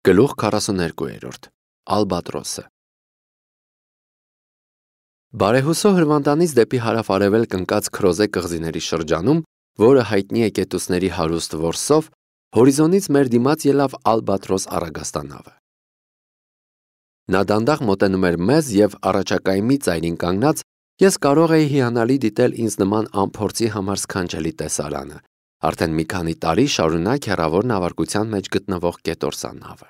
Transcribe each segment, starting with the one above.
Գլուխ 42 Ալբատրոսը Բարեհուսո հրվանդանից դեպի հարավ-արևելք ընկած Քրոզե կղզիների շրջանում, որը հայտնի է կետուսների հարուստ որսով, հորիզոնից մեր դիմաց ելավ Ալբատրոս առագաստանավը։ Նա դանդաղ մոտենում էր մեզ և առաջակայմի ծայրին կանգնած, ես կարող էի հիանալի դիտել ինձ նման անփորձի համար սքանչելի տեսարանը, արդեն մի քանի տարի շարունակ հեռավոր նավարկության մեջ գտնվող կետորսանավը։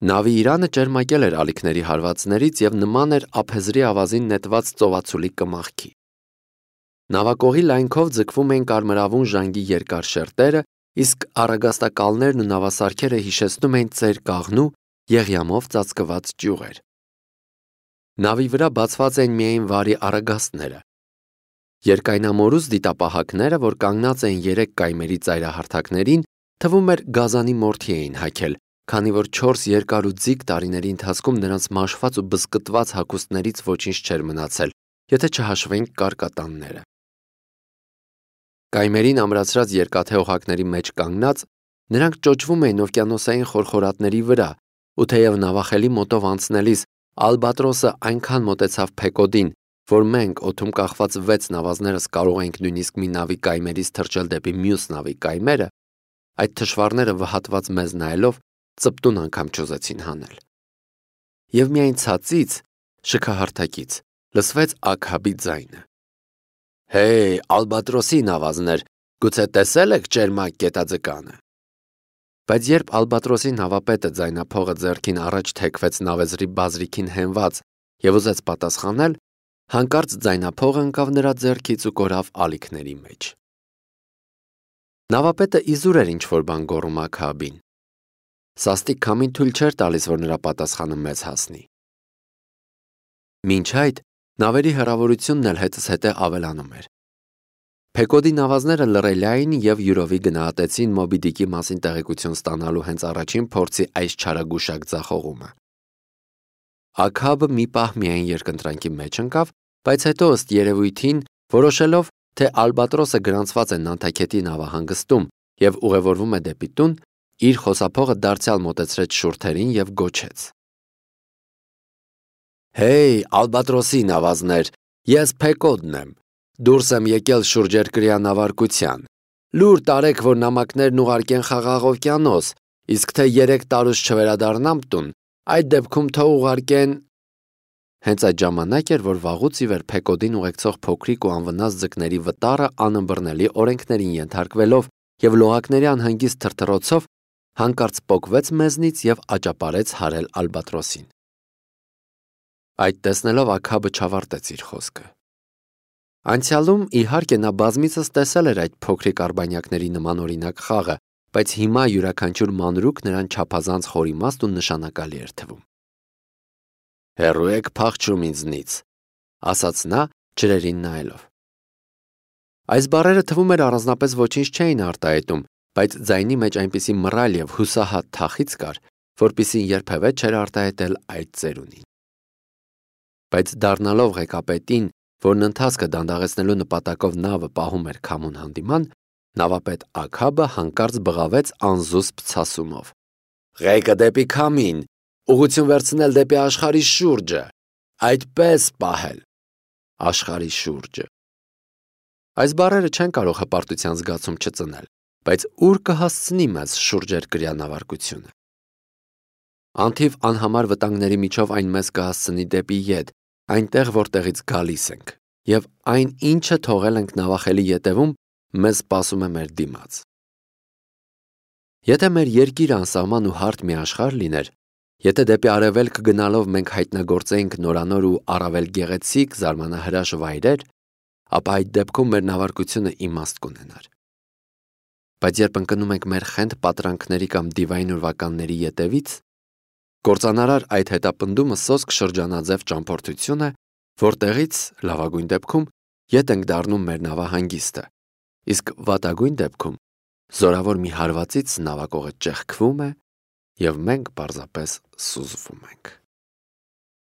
Նավի իրանը ճերմակել էր ալիքների հարվածներից և նման էր ափեզրի ավազին նետված ծովացուլի կմախքի։ Նավակողի լայնքով ձգվում էին կարմրավուն ժանգի երկար շերտերը, իսկ առագաստակալներն ու նավասարքերը հիշեցնում էին ծեր կաղնու եղյամով ծածկված ճյուղեր։ Նավի վրա բացված էին միայն վարի առագաստները։ Երկայնամորուս դիտապահակները, որ կանգնած էին 3 կայմերի ծայրահարթակներին, թվում էր գազանի մորթի էին հագել, քանի որ 4 երկար ու ձիգ տարիների ընթացքում նրանց մաշված ու բզկտված հագուստներից ոչինչ չէր մնացել, եթե չհաշվենք կարկատանները։ Կայմերին ամրացրած երկաթե օղակների մեջ կանգնած, նրանք ճոճվում էին օվկիանոսային խորխորատների վրա, ու թեև նավախելի մոտով անցնելիս Ալբատրոսը այնքան մոտեցավ Փեկոդին, որ մենք օդում կախված 6 նավազներս կարող էինք նույնիսկ մի նավի կայմերից թռչել դեպի մյուս նավի կայմերը, այդ թշվառները վհատված մեզ նայելով ծպտուն անգամ չուզեցին հանել։ Եվ միայն ցածից, շքահարթակից, լսվեց Աքաբի ձայնը. «Հեյ, Ալբատրոսի նավազներ, գուցե տեսել եք ճերմակ կետաձկանը»։ Բայց երբ Ալբատրոսի նավապետը ձայնափողը ձեռքին առաջ թեքվեց նավեզրի բազրիքին հենված և ուզեց պատասխանել, հանկարծ ձայնափողը ընկավ նրա ձեռքից ու կորավ ալիքների մեջ։ Նավապետը իզուր էր ինչ-որ բան գոռում Աքաբին։ Սաստիկ քամին թույլ չէր տալիս, որ նրա պատասխանը մեզ հասնի։ Մինչ այդ նավերի հեռավորությունն էլ հետզհետե ավելանում էր։ Փեկոդի նավազները լռելի էին և յուրովի գնահատեցին Մոբի Դիկի մասին տեղեկություն ստանալու հենց առաջին փորձի այս չարագուշակ ձախողումը։ Աքաբը մի պահ միայն երկընտրանքի մեջ ընկավ, բայց հետո ըստ երևույթին, որոշելով, թե Ալբատրոսը գրանցված է Նանթաքետի նավահանգստում և ուղևորվում է դեպի տուն, իր խոսափողը դարձյալ մոտեցրեց շուրթերին և գոչեց. «Հեյ, Ալբատրոսի նավազներ, ես Փեկոդն եմ, դուրս եմ եկել շուրջերկրյա նավարկության, լուր տարեք, որ նամակներն ուղարկեն Խաղաղ օվկիանոս, իսկ թե 3 տարուց չվերադառնամ տուն, այդ դեպքում թող ուղարկեն»։ Հենց այդ ժամանակ էր, որ վաղուց ի վեր Փեկոդին ուղեկցող փոքրիկ ու անվնաս ձկների վտարը անըմբռնելի օրենքներին ենթարկվելով և լողակների անհանգիստ թրթռոցով հանկարծ պոկվեց մեզնից և աճապարեց հարել Ալբատրոսին։ Այդ տեսնելով Աքաբը չավարտեց իր խոսքը։ Անցյալում, իհարկե, նա բազմիցս տեսել էր այդ փոքրիկ արբանյակների նմանօրինակ խաղը, բայց հիմա յուրաքանչյուր մանրուք նրան չափազանց խորիմաստ ու նշանակալի էր թվում։ «Հեռու եք փախչում ինձնից», ասաց նա, ջրերին նայելով։ Այս բառերը թվում էր առանձնապես ոչինչ չէին արտահայտում, բայց ձայնի մեջ այնպիսի մռայլ և հուսահատ թախիծ կար, որպիսին երբևէ չէր արտահայտել այդ ծերունին։ Բայց դառնալով ղեկապետին, որն ընթացքը դանդաղեցնելու նպատակով նավը պահում էր քամուն հանդիման, նավապետ Աքաբը հանկարծ բղավեց անզուսպ ցասումով. «Ղեկը դեպի քամին, ուղղություն վերցնել դեպի աշխարհի շուրջը, այդպես պահել, աշխարհի շուրջը»։ Այս բառերը չեն կարող հպարտության զգացում չծնել, բայց ուր կհասցնի մեզ շուրջերկրյա նավարկությունը։ Անթիվ անհամար վտանգների միջով այն մեզ կհասցնի դեպի ետ, այնտեղ, որտեղից գալիս ենք, և այն, ինչը թողել ենք նավախելի ետևում, մեզ սպասում է մեր դիմաց։ Եթե մեր երկիրը անսահման ու հարթ մի աշխարհ լիներ, եթե դեպի արևելք գնալով մենք հայտնագործեինք նորանոր ու առավել գեղեցիկ զարմանահրաշ վայրեր, ապա այդ դեպքում մեր նավարկությունը իմաստ կունենար։ Բայց երբ ընկնում ենք մեր խենթ պատրանքների կամ դիվային ուրվականների ետևից, կործանարար այդ հետապնդումը սոսկ շրջանաձև ճամփորդություն է, որտեղից, լավագույն դեպքում, ետ ենք դառնում մեր նավահանգիստը, իսկ վատագույն դեպքում զորավոր մի հարվածից նավակողը ճեղքվում է, և մենք պարզապես սուզվում ենք։